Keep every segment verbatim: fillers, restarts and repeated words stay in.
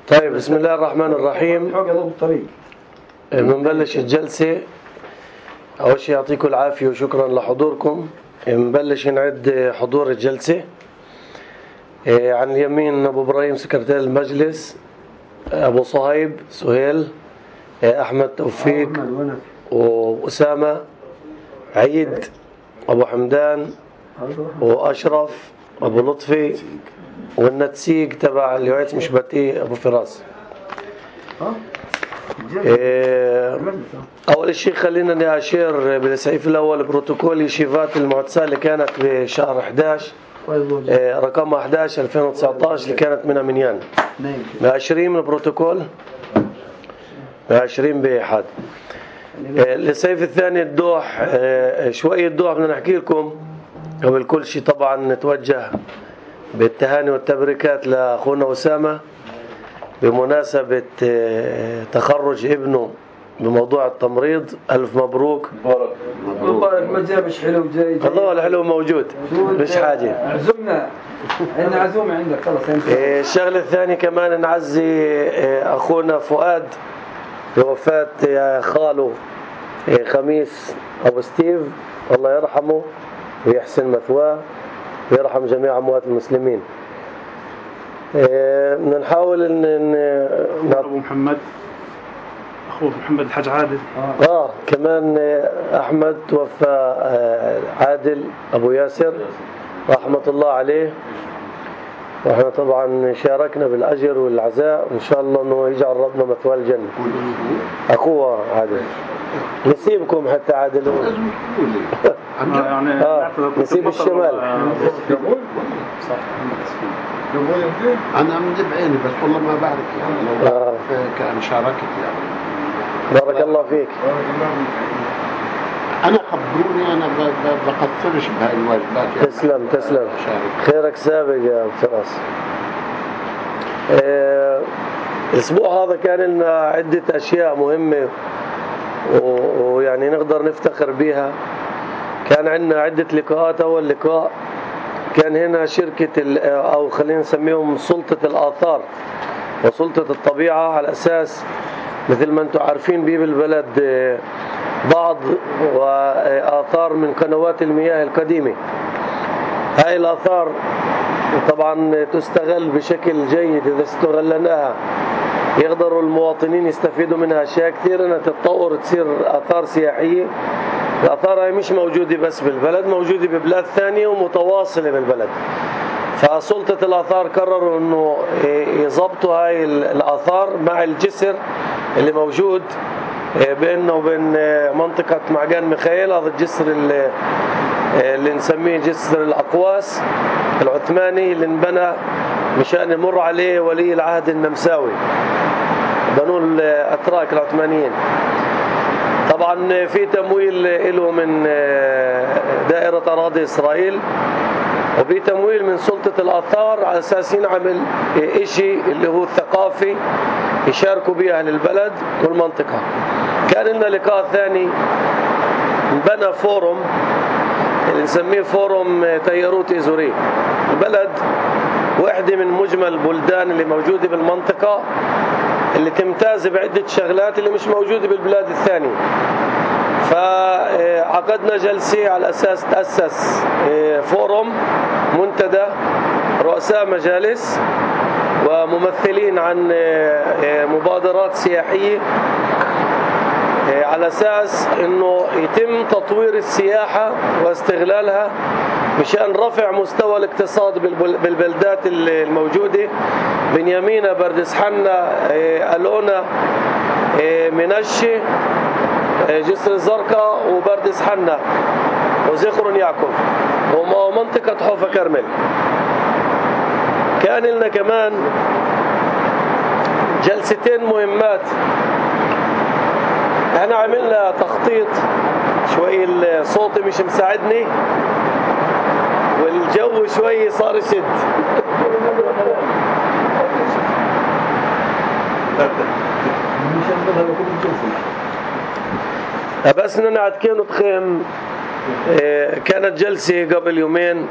طيب، بسم الله الرحمن الرحيم. بنبلش الجلسة. أول شيء يعطيكم العافية وشكرا لحضوركم. بنبلش نعد حضور الجلسة. عن اليمين أبو إبراهيم سكرتير المجلس، أبو صهيب سهيل، أحمد توفيق وأسامة، عيد، أبو حمدان وأشرف، أبو لطفي، والنتسيق تبع اليوعيت مشبتي أبو فراس. أول شيء خلينا نأشير بالسعيف الأول بروتوكول يشيفات المعتسة اللي كانت بشهر أحد عشر، رقم أحد عشر ألفين وتسعة عشر اللي كانت من منيان. مأشرين من البروتوكول، مأشرين بأحد. السيف الثاني الدوح، شوية دوح بدنا نحكي لكم. قبل كل شيء طبعا نتوجه بالتهاني والتبريكات لأخونا أسامة بمناسبة تخرج ابنه بموضوع التمريض. ألف مبروك. مبروك. ما جابش حلو جاي, جاي. الله الحلو موجود، مش حاجة. عزمنا عندنا عزومة عندك خلص. الشغلة الثانية كمان نعزي أخونا فؤاد بوفاة خاله خميس أبو ستيف، الله يرحمه ويحسن مثواه ويرحم جميع أموات المسلمين. بدنا نحاول ان ابو محمد اخوه محمد الحاج عادل. اه, آه كمان احمد توفى، عادل ابو ياسر رحمه الله عليه، واحنا طبعا شاركنا بالاجر والعزاء، وان شاء الله انه يجعل ربنا مثواه الجنه. اخوه عادل نسيبكم حتى عادل يعني آه نسيب الشمال. أنا من بعيني بس والله ما بعرف يعني لو آه. كان شاركت يعني. بارك الله فيك. أنا خبروني أنا بقصرش بهاي الواجبات يعني. تسلم تسلم شارك. خيرك سابق يا فراس. آه الأسبوع هذا كان لنا عدة أشياء مهمة ويعني نقدر نفتخر بها. كان عندنا عدة لقاءات. أول لقاء كان هنا شركة أو خلينا نسميهم سلطة الآثار وسلطة الطبيعة، على أساس مثل ما أنتم عارفين بيه بالبلد بعض وآثار من قنوات المياه القديمة. هاي الآثار طبعا تستغل بشكل جيد. إذا استغلناها يقدروا المواطنين يستفيدوا منها أشياء كثير، أنها تتطور تصير آثار سياحية. الآثار هاي مش موجودة بس بالبلد، موجودة ببلاد ثانية ومتواصلة بالبلد. فسلطة الآثار قرروا أنه يضبطوا هاي الآثار مع الجسر اللي موجود بيننا وبين منطقة معجان ميخائيل. هذا الجسر اللي, اللي نسميه جسر الأقواس العثماني اللي انبنى مشان يمر عليه ولي العهد النمساوي بنو الأتراك العثمانيين. طبعا في تمويل له من دائرة أراضي إسرائيل، وفي تمويل من سلطة الآثار على أساس ينعمل إشي اللي هو الثقافي يشاركوا به أهل البلد والمنطقة. كان لنا لقاء ثاني، بنى فورم اللي نسميه فورم تياروت إزوري. البلد واحدة من مجمل البلدان اللي موجودة بالمنطقة اللي تمتاز بعدة شغلات اللي مش موجودة بالبلاد الثانية. فعقدنا جلسة على أساس تأسس فورم منتدى رؤساء مجالس وممثلين عن مبادرات سياحية على أساس أنه يتم تطوير السياحة واستغلالها مشان رفع مستوى الاقتصاد بالبلدات الموجودة: بنيامينا، بردس حنا، ألونا، منشي، جسر الزرقاء، وبردس حنا، وزخر يعقوب، ومنطقة حوفا كرمل. كان لنا كمان جلستين مهمات. احنا عملنا تخطيط شوي، الصوت مش مساعدني والجو شوي صار يشد. بس ننعد كانوا تخيم. كانت جلسة قبل يومين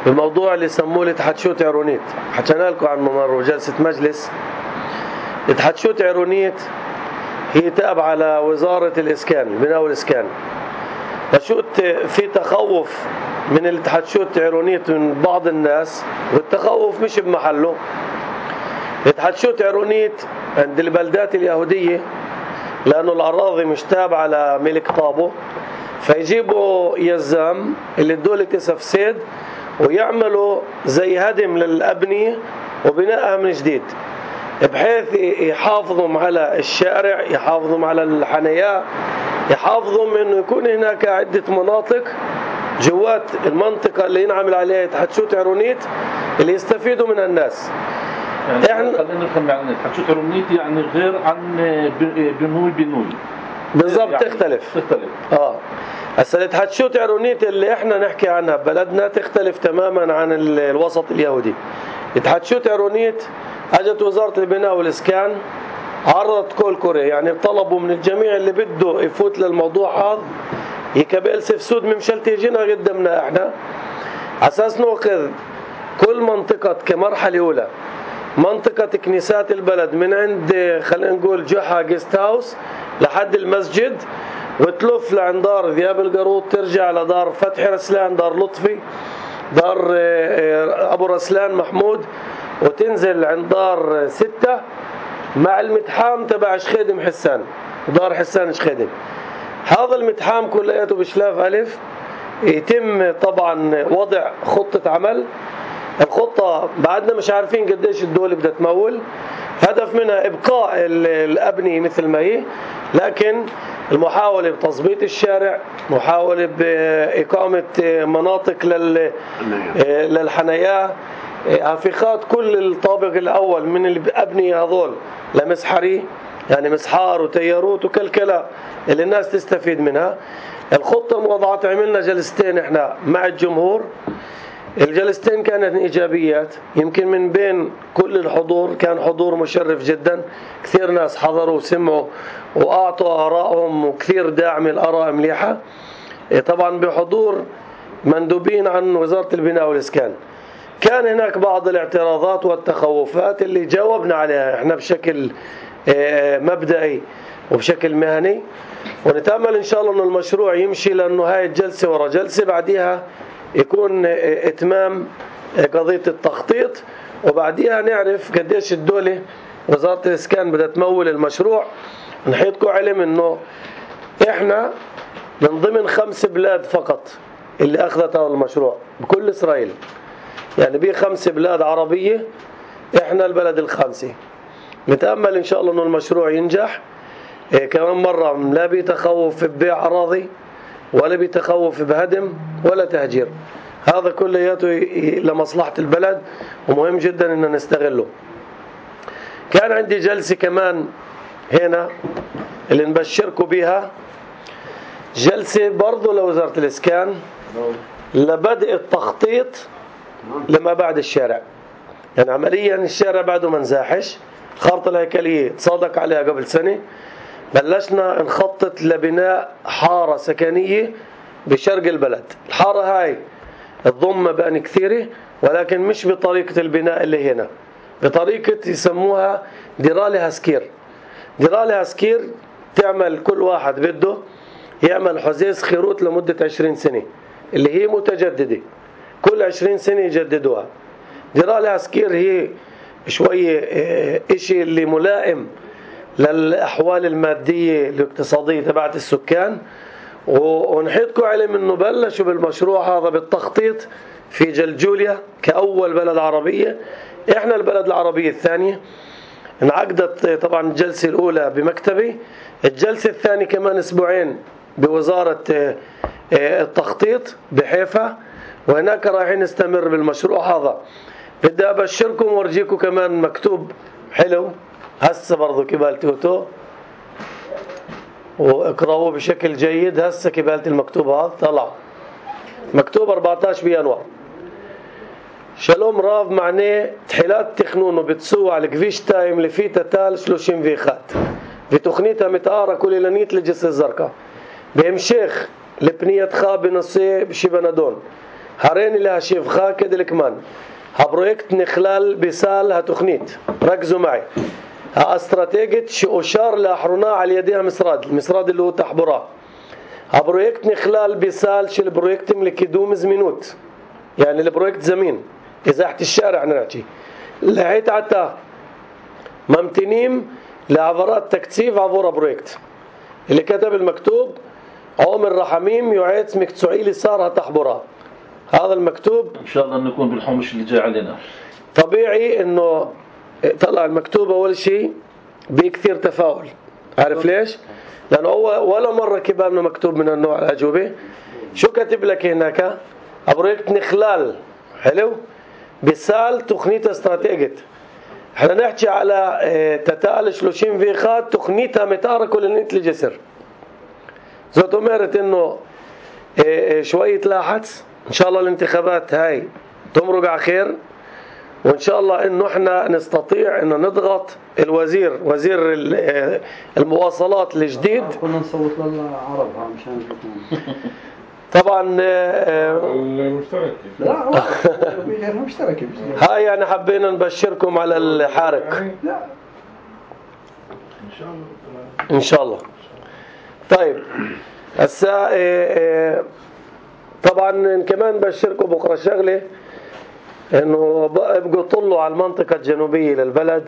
بموضوع اللي يسموه الاتحادشوت عرونيت. حكينا لكم عنه مرة بجلسة مجلس. اتحادشوت عرونيت هي تابعة لوزارة الإسكان، البناء والإسكان. فشوت في تخوف من الاتحادشوت عرونيت من بعض الناس، والتخوف مش بمحله. الاتحادشوت عرونيت عند البلدات اليهودية لأنه الأراضي مش تابعة لملك طابو، فيجيبوا يزام اللي الدولة تسفسد ويعملوا زي هدم للأبنية وبنائها من جديد، بحيث يحافظوا على الشارع، يحافظوا على الحنايا، يحافظوا من انه يكون هناك عدة مناطق جوات المنطقة اللي ينعمل عليها اتحادشوت عرونيت اللي يستفيدوا منها الناس. يعني احنا خلينا نفهم يعني اتحادشوت عرونيت يعني غير عن بنوي بنوي بالضبط، يعني تختلف تختلف اه هسه الاتحادشوت عرونيت اللي احنا نحكي عنها ببلدنا تختلف تماما عن الوسط اليهودي. اتحادشوت عرونيت اجت وزارة البناء والإسكان عرضت كول كوري، يعني طلبوا من الجميع اللي بده يفوت للموضوع هذا يكبل سفسود ممشلتي يجينا قدامنا احنا اساس ناخذ كل منطقة كمرحلة اولى منطقة كنيسات البلد من عند خلينا نقول جحا جيست هاوس لحد المسجد، وتلف لعند دار ذياب القروط، ترجع لدار فتحي رسلان، دار لطفي، دار ابو رسلان محمود، وتنزل عند دار ستة مع المتحام تبع شخيدم حسان، دار حسان شخيدم. هذا المتحام كلياته بشلاف ألف يتم طبعا وضع خطة عمل. الخطة بعدنا مش عارفين قديش الدولة بدها تمول، هدف منها إبقاء الأبنية مثل ما هي، لكن المحاولة بتظبيط الشارع، محاولة بإقامة مناطق للحنايا، هافخات كل الطابق الأول من الأبنية هذول لمسحري، يعني مسحار وتياروت وكلكلة اللي الناس تستفيد منها. الخطة الموضعة عملنا جلستين احنا مع الجمهور، الجلستين كانت إيجابيات، يمكن من بين كل الحضور كان حضور مشرف جدا، كثير ناس حضروا وسمعوا وأعطوا آرائهم وكثير داعم الآراء مليحة، طبعا بحضور مندوبين عن وزارة البناء والإسكان. كان هناك بعض الاعتراضات والتخوفات اللي جاوبنا عليها احنا بشكل مبدئي وبشكل مهني، ونتأمل إن شاء الله أن المشروع يمشي لأنه هاي الجلسة ورا جلسة بعديها يكون إتمام قضية التخطيط، وبعديها نعرف قديش الدولة وزارة الإسكان بدها تمول المشروع. نحيطكم علم أنه إحنا من ضمن خمس بلاد فقط اللي أخذت هذا المشروع بكل إسرائيل، يعني بيه خمس بلاد عربية إحنا البلد الخامسة. نتأمل إن شاء الله أنه المشروع ينجح. إيه كمان مرة لا بيتخوف ببيع أراضي ولا بيتخوف بهدم ولا تهجير، هذا كلياته لمصلحة البلد ومهم جدا أن نستغله. كان عندي جلسة كمان هنا اللي نبشركم بها، جلسة برضو لوزارة الإسكان لبدء التخطيط لما بعد الشارع. يعني عمليا الشارع بعده ما نزاحش، خارطة الهيكلية تصادق عليها قبل سنة، بلشنا نخطط لبناء حارة سكنية بشرق البلد. الحارة هاي تضم مباني كثيرة ولكن مش بطريقة البناء اللي هنا، بطريقة يسموها ديرالي هاسكير. ديرالي هاسكير تعمل كل واحد بده يعمل حزيز خيروت لمدة عشرين سنة اللي هي متجددة، كل عشرين سنة يجددوها. ديرالي هاسكير هي شوية اشي اللي ملائم للأحوال المادية الاقتصادية تبعت السكان، ونحيطكم علم انه بلشوا بالمشروع هذا بالتخطيط في جلجوليا كأول بلد عربية، احنا البلد العربية الثانية. انعقدت طبعا الجلسة الأولى بمكتبي، الجلسة الثانية كمان أسبوعين بوزارة التخطيط بحيفا، وهناك رايحين نستمر بالمشروع هذا. بدي أبشركم وارجيكم كمان مكتوب حلو هسه برضو كبالتي وتو واقرأوه بشكل جيد. هسه كبالت المكتوب هذا طلع مكتوب أربعة عشر بيناير. שלום רב מענה תחילת תכנון וביצוע לכביש שתיים לפי תת"ל שלושים ואחת ותוכנית המתאר הכוללנית לג'סר א-זרקא. בהמשך לפנייתך בנושא שבנדון, هارين لها شيف خا كده كمان. ها بروجكت نخلال بسال ها تخنيت ركزوا معي. ها استراتيجية شؤشار لاحرونا على يديها مسراد المسراد اللي هو تحبرا. ها بروجكت نخلال بسال شل بروجكت لكدوم زمينوت يعني البروجكت زمين إزاحة الشارع نحكي لحيت عتا ممتنين لعبارات تكثيف عبورة بروجكت اللي كتب المكتوب عمر رحميم يعيد مكتسوعي صارها تحبرا. هذا المكتوب ان شاء الله انه يكون بالحمش اللي جاي علينا. طبيعي انه طلع المكتوب اول شيء بكثير تفاؤل. عارف ليش؟ لانه هو ولا مره كبار انه مكتوب من النوع الاجوبه. شو كاتب لك هناك؟ بروجكت نخلال حلو بسال تخنيت استراتيجية. احنا نحكي على تتال شلوشين فيخات تخنيتها متارك ولنيت الجسر. زوت امرت انه شويه لاحظ ان شاء الله الانتخابات هاي تمرق على خير وان شاء الله انه احنا نستطيع انه نضغط الوزير وزير المواصلات الجديد. كنا نصوت للعرب مشان يشوفون. طبعا المشترك لا هو غير مشترك. هاي يعني حبينا نبشركم على الحارق لا ان شاء الله ان شاء الله. طيب هسا طبعا كمان بشركم بكره شغله انه ابقوا طلوا على المنطقه الجنوبيه للبلد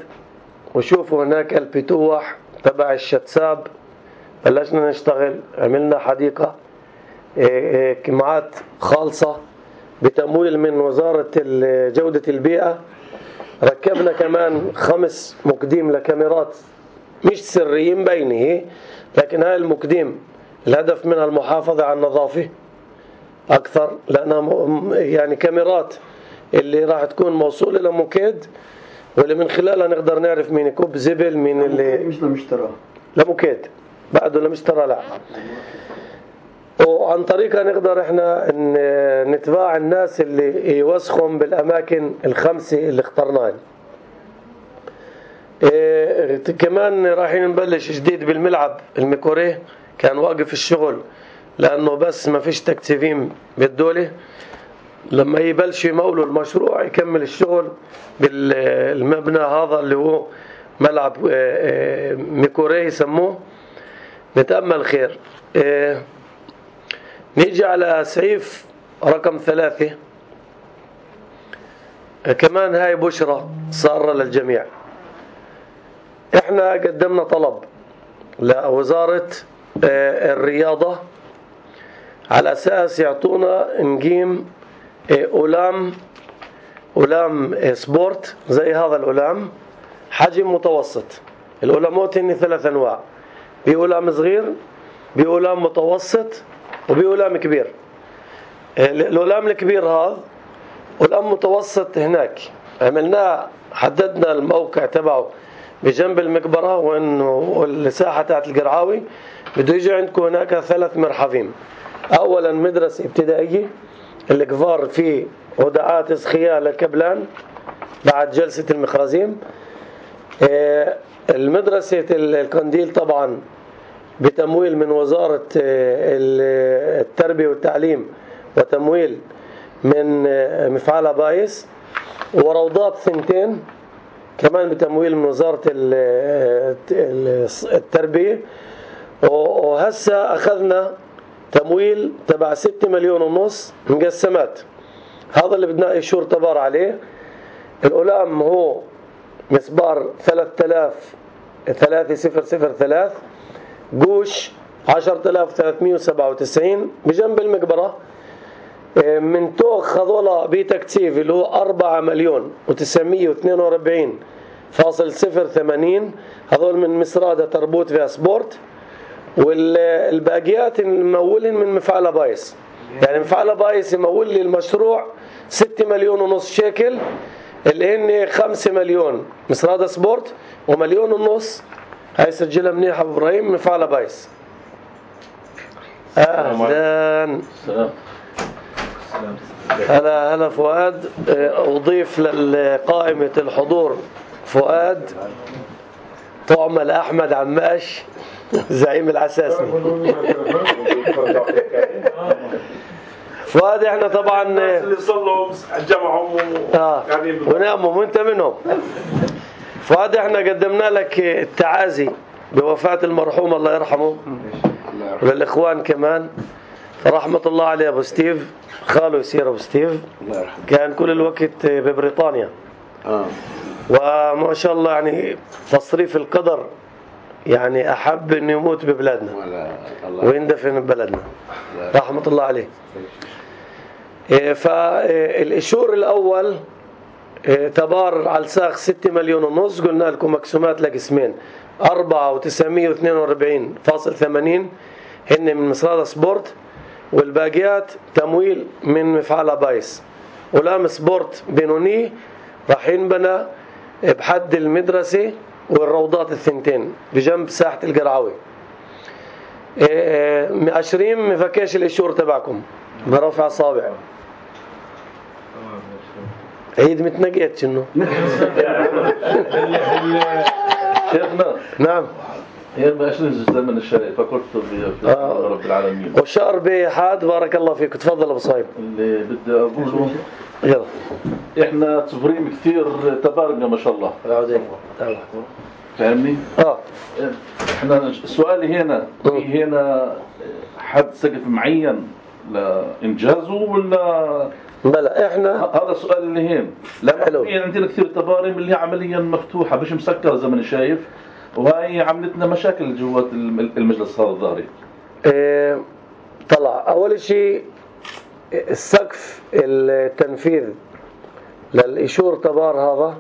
وشوفوا هناك البتوح تبع الشتساب. بلشنا نشتغل عملنا حديقه كمعات خالصه بتمويل من وزاره جوده البيئه. ركبنا كمان خمس مقديم لكاميرات مش سريين مبينه لكن هاي المقديم الهدف منها المحافظه على النظافه اكثر لانها يعني كاميرات اللي راح تكون موصوله لموكيد واللي من خلالها نقدر نعرف مين يكب زبل مين اللي مش لمشترى لموكيد بعده لمشترى لا. وعن طريقها نقدر احنا نتباع الناس اللي يوسخهم بالاماكن الخمسه اللي اخترناها. إيه كمان رايحين نبلش جديد بالملعب الميكوريه كان واقف الشغل لانه بس ما فيش تكتيفين بالدوله. لما يبلش يمولوا المشروع يكمل الشغل بالمبنى هذا اللي هو ملعب ميكوريه يسموه. نتأمل خير. إيه نيجي على سعيف رقم ثلاثة. كمان هاي بشرة صارة للجميع. احنا قدمنا طلب لوزارة الرياضة على اساس يعطونا نقيم أولام أولام سبورت زي هذا الأولام حجم متوسط. الأولامات هن ثلاث أنواع بأولام صغير بأولام متوسط وبأولام كبير. الأولام الكبير هذا والأولام متوسط هناك عملناه حددنا الموقع تبعه بجنب المقبرة وإنه الساحة تاعت القرعاوي بده يجي عندكم هناك ثلاث مرحفين. أولا مدرسة ابتدائية الكفار في ودعات سخية للكبلان بعد جلسة المخرزيم. المدرسة القنديل طبعا بتمويل من وزارة التربية والتعليم وتمويل من مفعال بايس. وروضات ثنتين كمان بتمويل من وزارة التربية. وهسه أخذنا تمويل تبع ستة مليون ونص مقسمات. هذا اللي بدنا إشور تبار عليه. الأولام هو مسبار ثلاثة آلاف ثلاثة صفر صفر ثلاثة قوش عشرة آلاف وثلاثمئة وسبعة وتسعين بجنب المقبرة. من توخ هذولا بتكثيف اللي هو أربعة مليون وتسعمئة واثنين وأربعين فاصل صفر ثمانين هذول من مسرادة تربوت فيها سبورت. والباقيات ممولين من مفعل بايس. يعني مفعل بايس يمول لي المشروع ستة مليون ونص شيكل اللي هن خمسة مليون مسرادة سبورت ومليون ونص هاي سجلها منيح ابو ابراهيم مفعل بايس. اهلا هلا هلا فؤاد. اضيف لقائمة الحضور فؤاد طعمة احمد عماش زعيم العساسني. فؤاد احنا طبعا الناس اللي صلوا جمعهم اه وناموا وانت منهم. فؤاد احنا قدمنا لك التعازي بوفاة المرحوم الله يرحمه، وللإخوان كمان رحمة الله عليه أبو ستيف، خاله يصير أبو ستيف، كان كل الوقت ببريطانيا آه. وما شاء الله يعني تصريف القدر يعني أحب أنه يموت ببلادنا ويندفن ببلدنا رحمة الله عليه. فالإشور الأول تبار على الساق ستة مليون ونص، قلنا لكم مقسومات لقسمين، أربعة وتسعمية واثنين وأربعين فاصل ثمانين هن من مصرادة سبورت، والباقيات تمويل من مفعل بايس. ولام سبورت بينوني راح ينبنى بحد المدرسة والروضات الثنتين بجنب ساحة القرعوي. عشرين مفكاش الإشور تبعكم برفع صابع عيد متنقيت شنو. شيخنا نعم هي ما عشرين زمن الشاي فكرت آه. رب العالمين وشهر بحاد بارك الله فيك. تفضل ابو صايب. اللي بدي اقوله يلا احنا تفريم كثير تبارنا ما شاء الله. فاهمني؟ اه احنا سؤالي هنا في هنا حد سقف معين لانجازه ولا بلا احنا هذا السؤال اللي هين لانه في عندنا كثير تبارم اللي عمليا مفتوحه مش مسكره زي ما انا شايف، وهي عملتنا مشاكل جوات المجلس هذا الظاهري. اه طلع اول شيء السقف التنفيذ للإشور تبار هذا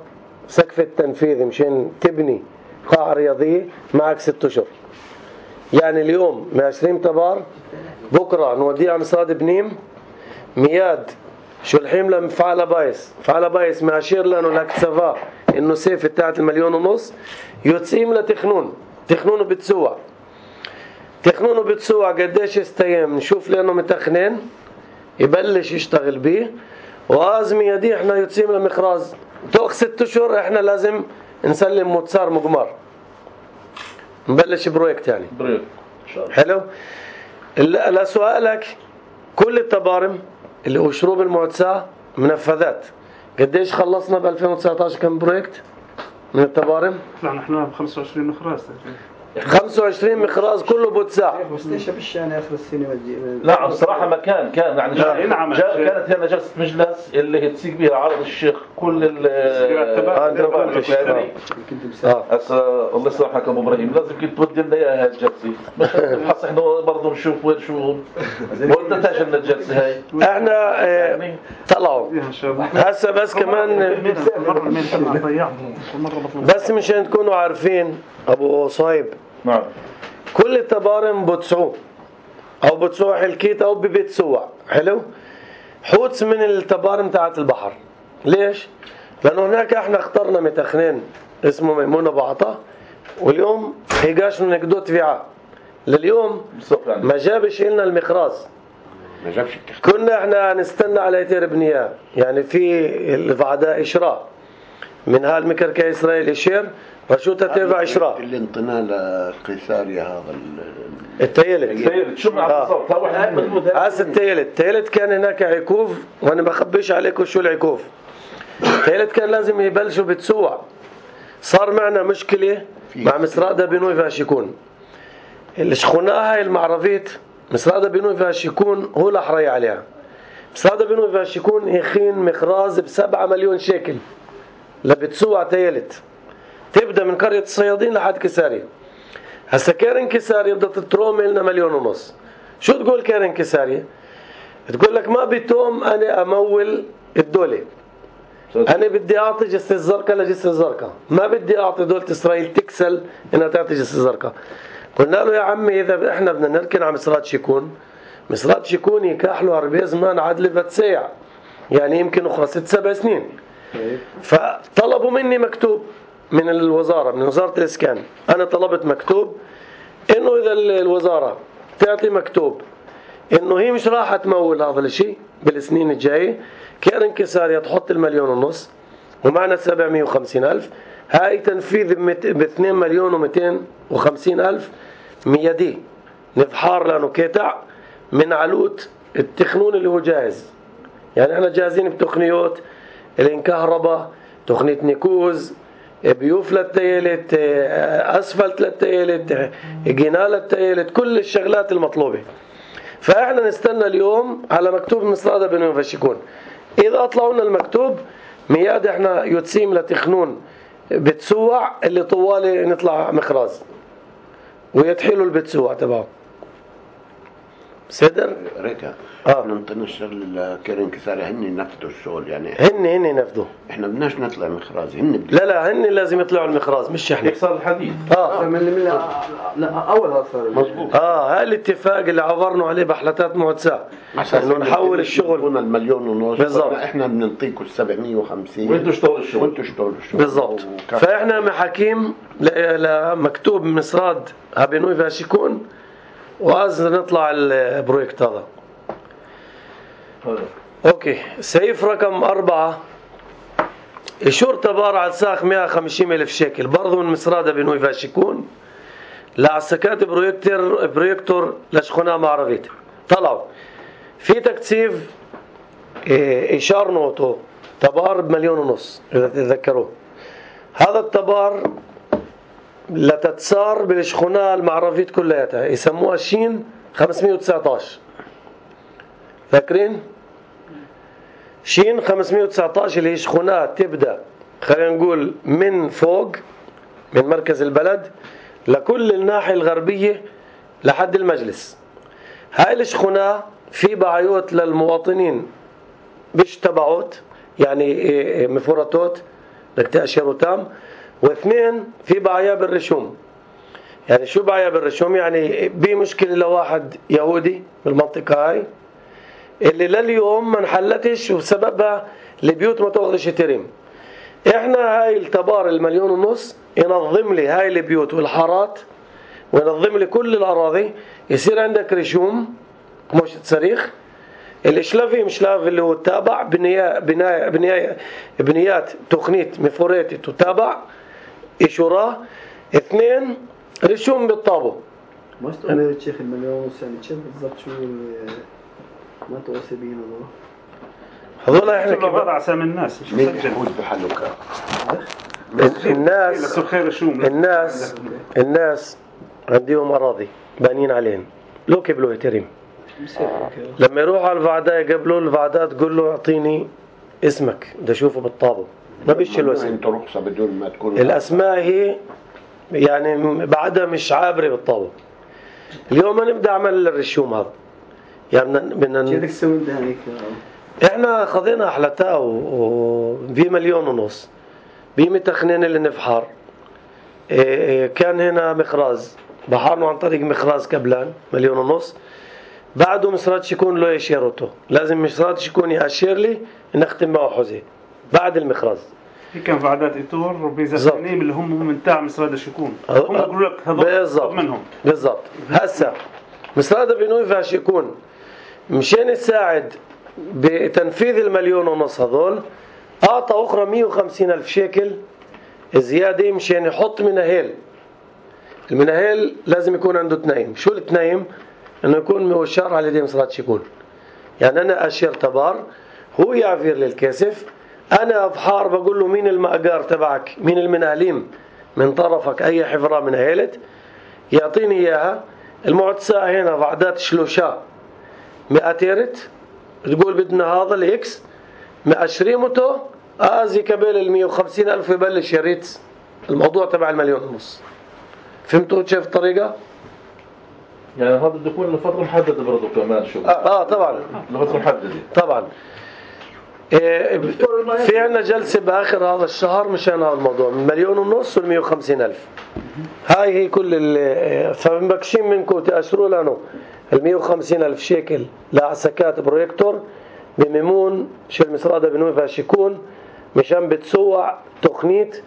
سقف التنفيذ مشان تبني قاعة رياضية معك ست اشهر. يعني اليوم من عشرين تبار بكره نوديه على مصراد بنيم مياد شو الحين لمفعل بايس فعل بايس ماشير لانه لك سفا انه سيف بتاعت المليون ونص يتسيم لتخنون تخنونه بتسوع تخنونه بتسوع قديش استيام نشوف لانه متخنين يبلش يشتغل بيه وازمي يدي احنا يتسيم لمخراز توق ست اشهر احنا لازم نسلم متسار مقمار نبلش برويكت يعني بريك حلو. لا سؤالك كل التبارم اللي هو شروب المعتسى منفذات قديش خلصنا ب ألفين وتسعطعش كم برويكت من التبارم؟ لا نحن ب خمسة وعشرين مخراز خمسة وعشرين مخراز كله بوتساع. بس ليش بش يعني اخر السنه ودي لا بصراحه ما كان كان يعني نعم جا كانت هنا جلسه مجلس اللي تسيق بها عرض الشيخ كل ال اه هسه الله يسامحك ابو ابراهيم لازم كنت تودي لنا اياها الجلسه مش نحس احنا برضه نشوف وين شو ما ودتهاش لنا الجلسه هاي احنا اه طلعوا هسه بس كمان بس مشان تكونوا عارفين ابو صايب نعم كل التبارم بتسعوه او بتسوع حلكيت او ببتسوع حلو حوتس من التبارم تاعت البحر. ليش؟ لانه هناك احنا اخترنا متخنين اسمه ميمون ابو عطا واليوم هيجاش نقدو تبيعه لليوم ما جابش لنا المخراز ما جابش كنا احنا نستنى على يتير بنياه يعني في الفعداء اشراء من هالمكركة اسرائيل يشير رشوتة تبع اشراء اللي انطنا لقيساريا هذا التيلت التيلت شو معنى بالضبط هذا التيلت التيلت كان هناك عكوف وانا بخبيش عليكم شو العكوف. التيلت كان لازم يبلشوا بتسوع صار معنا مشكلة مع مصرادة بنوي فاشيكون الشخونة هاي المعرفيت مصرادة بنوي فاشيكون هو الأحري عليها. مصرادة بنوي فاشيكون يخين مخراز بسبعة مليون شيكل لبتسوع تيلت تبدأ من قرية الصيادين لحد كسارية. هسا كارن كسارية بدها تتروم لنا مليون ونص. شو تقول كارن كسارية؟ تقول لك ما بتوم أنا أمول الدولة أنا بدي أعطي جسر الزرقاء لجسر الزرقاء ما بدي أعطي دولة إسرائيل تكسل إنها تعطي جسر الزرقاء. قلنا له يا عمي إذا إحنا بدنا نركن على مصرات شيكون مصرات شيكون يكاحلوا عربية زمان عدل فتسيع يعني يمكن أخرى ست سبع سنين. فطلبوا مني مكتوب من الوزارة من وزارة الإسكان أنا طلبت مكتوب إنه إذا الوزارة تعطي مكتوب إنه هي مش راح تمول هذا الشيء بالسنين الجاية كارن كسارية تحط المليون ونص ومعنا سبعمية وخمسين ألف هاي تنفيذ باثنين مليون ومئتين وخمسين ألف ميدي نفحار لأنه كيتع من علوت التخنون اللي هو جاهز. يعني احنا جاهزين بتقنيات الانكهرباء، تقنية نيكوز، بيوف للتيالت، اسفلت للتيالت، جناء للتيالت، كل الشغلات المطلوبة. فاحنا نستنى اليوم على مكتوب مصرادة بنوي وفاشيكون. اذا اطلعوا لنا المكتوب مياد احنا يتسيم لتخنون بتسوع اللي طوالي نطلع مخراز ويتحلوا البتسوع تبعه. صدر ريكا اه ننطينا الشغل الكريم كساري هن ينفذوا الشغل يعني هن هن ينفذوا. احنا بدناش نطلع مخراز هن بدي. لا لا هن لازم يطلعوا المخراز مش احنا. يكسر الحديد. اه من من لا, لا اول هذا صار مظبوط. اه هاي الاتفاق اللي عبرنا عليه بحلتات معتساء انه نحول الشغل هنا المليون ونص بالضبط. احنا بنعطيكم سبعمية وخمسين وانتوا اشتغلوا الشغل. وانتوا اشتغلوا الشغل بالضبط. فاحنا محاكيم لمكتوب مصراد هابينوي فاشيكون وאז نطلع البروجكت هذا. اوكي سيف رقم أربعة إشور تبار على ساق مئة وخمسين ألف شيكل برضو من مصرادة بنوي فاشيكون لعسكات بروجكتور بروجكتور لشخونة معرفيت. طلعوا في تكثيف إشار نوتو تبار بمليون ونص إذا تتذكروه. هذا التبار لتتسار بالشخونة المعرفيت كلها يسموها شين خمسمئة وتسعة عشر. فاكرين شين خمسمئة وتسعة عشر اللي هي شخونات تبدأ خلينا نقول من فوق من مركز البلد لكل الناحية الغربية لحد المجلس. هاي الشخونة في بعيوت للمواطنين بش تبعوت يعني مفورتوت بدك تأشيروا تام. واثنين في بعيا بالرشوم. يعني شو بعيا بالرشوم؟ يعني بمشكلة لواحد يهودي بالمنطقة هاي اللي لليوم ما انحلتش وسببها البيوت ما تاخذش تريم. احنا هاي التبار المليون ونص ينظم لي هاي البيوت والحارات وينظم لي كل الأراضي. يصير عندك رشوم مش صريخ. الاشلافي مشلاف اللي هو التابع بنيات بناية بناية بنيات تقنية مفوريتي تتابع إشورة. اثنين رشوم بالطابو. ما استوعب الشيخ المليون ونص يعني كيف بالضبط شو ما توصي بينا هذول احنا كيف كبار على اسامي الناس مش مين مسجل يفوز بحلوكا الناس الناس الناس عندهم أراضي بانين عليهم لو كبلوا يتريم. لما يروح على الفعداء يقبلوا الفعداء تقول له اعطيني اسمك بدي اشوفه بالطابو ما بيشيلوا اسم. انت رخصه بدون ما تكون الاسماء هي يعني بعدها مش عابره بالطابو. اليوم نبدا عمل الرشوم هذا يعني بدنا كيف تسوي انت هيك؟ احنا خذينا احلتها وفي مليون ونص بمتخنين اللي نفحر. كان هنا مخراز بحرنا عن طريق مخراز كبلان مليون ونص. بعده مصرات يكون له يشيرته لازم مصرات يكون يأشير لي نختم معه حزي بعد المخراز. في كان فعدات إيتور وبيزاتنيم اللي هم من تاع مصراد الشكون هم يقولوا لك هذول منهم بالضبط. هسا مصراد بنوي فاش يكون مشان يساعد بتنفيذ المليون ونص هذول أعطى أخرى مئة وخمسين ألف شيكل زيادة مشان يحط مناهيل. المناهيل لازم يكون عنده تنايم. شو التنايم؟ انه يكون مؤشر على يدي مصرات شكون. يعني انا اشير تبار هو يعفير للكاسف انا افحار بقول له مين المأجار تبعك مين المناهلين من طرفك اي حفرة مناهلت يعطيني اياها. المعتساء هنا بعدات شلوشا مئة تيرت تقول بدنا هذا الاكس مأشريمته ازي كبيل المئة وخمسين الف يبلش يريت الموضوع تبع المليون ونص. فهمتوا كيف الطريقة؟ يعني هذا بده يكون لفترة محددة برضه كمان شو اه, آه طبعا لفترة محددة طبعا. إيه في عنا جلسة بآخر هذا الشهر مشان هذا الموضوع من مليون ونص والمئة وخمسين ألف. هاي هي كل اللي فمبكشين منكم تأشروا لنا المئة وخمسين ألف شيكل لعسكات بروجكتور بميمون شل مصرادة بنوي فاشيكون مشان بتسوع تقنيت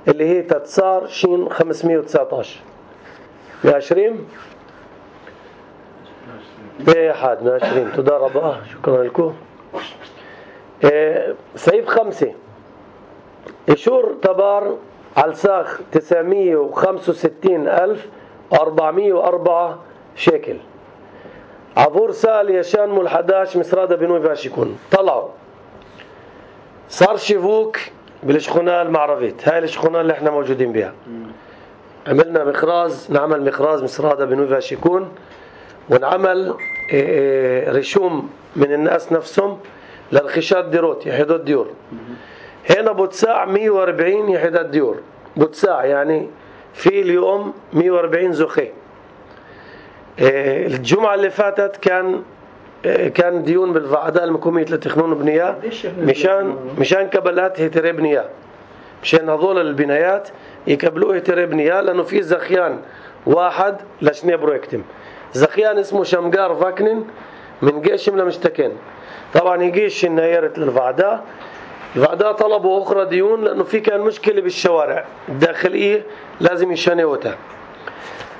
اللي هي تتسار شين خمسمئة وتسعة عشر بعشرين بأحد من عشرين. تدرب شكرا لكم. إيه سيف خمسة إشور تبار على ساخ تسعمئة وخمسة وستين ألف وأربعمئة وأربعة شيكل. عبور سال يشان مول حداش مسرادة بنوي فاشيكون طلعوا صار شيفوك بالشخونة المعرفيت. هاي الشخونة اللي احنا موجودين بها. عملنا مخراز، نعمل مخراز مسرادة بنوي فاشيكون، ونعمل رشوم من الناس نفسهم للخشات ديروت يحيدوا الديور. هنا بوتساع مية وأربعين يحيد الديور بوتساع، يعني في اليوم مية وأربعين زخي. الجمعة اللي فاتت كان كان ديون بالفعداء المكومية لتخنون وبنية مشان مشان كبلات هيتري بنية، مشان هذول البنايات يكبلوه هيتري بنية، لأنه في زخيان واحد لشني برويكتم. زخيان اسمه شمقار فاكنن من جيشم لمشتكين. طبعا يجيش النيرت للفعداء، الفعداء طلبوا أخرى ديون لأنه في كان مشكلة بالشوارع الداخلية لازم يشانيوتها.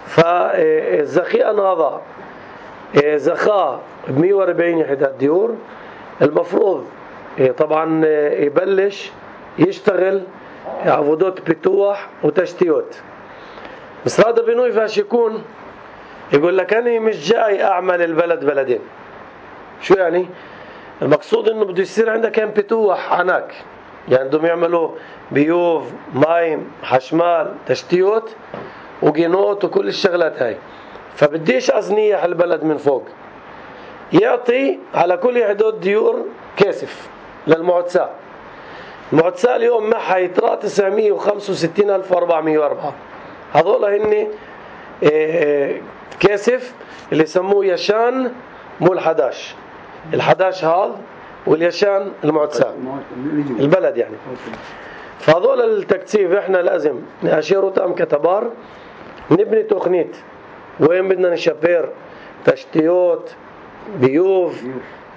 فالزخيان هذا زخاء ب مية وأربعين يحدى الديور. المفروض طبعا يبلش يشتغل عبودات بتوح وتشتيوت. مسرادة بنوي فاشيكون يقول لك أنا مش جاي أعمل البلد بلدين. شو يعني؟ المقصود إنه بده يصير عندك كان بتوح عناك، يعني بدهم يعملوا بيوف مايم حشمال تشتيوت وجينوت وكل الشغلات هاي. فبديش أزنيح البلد من فوق، يعطي على كل حدود ديور كاسف للمعتساء. المعتساء اليوم معها يترى تسعمية وخمسة وستين ألف وأربعمية وأربعة. هذول هن كاسف اللي يسموه يشان مول حداش. الحداش هذا واليشان المعتساء البلد يعني. فهذول التكثيف احنا لازم نأشيره تام كتبار، نبني تخنيت وين بدنا نشبر تشتيوت بيوف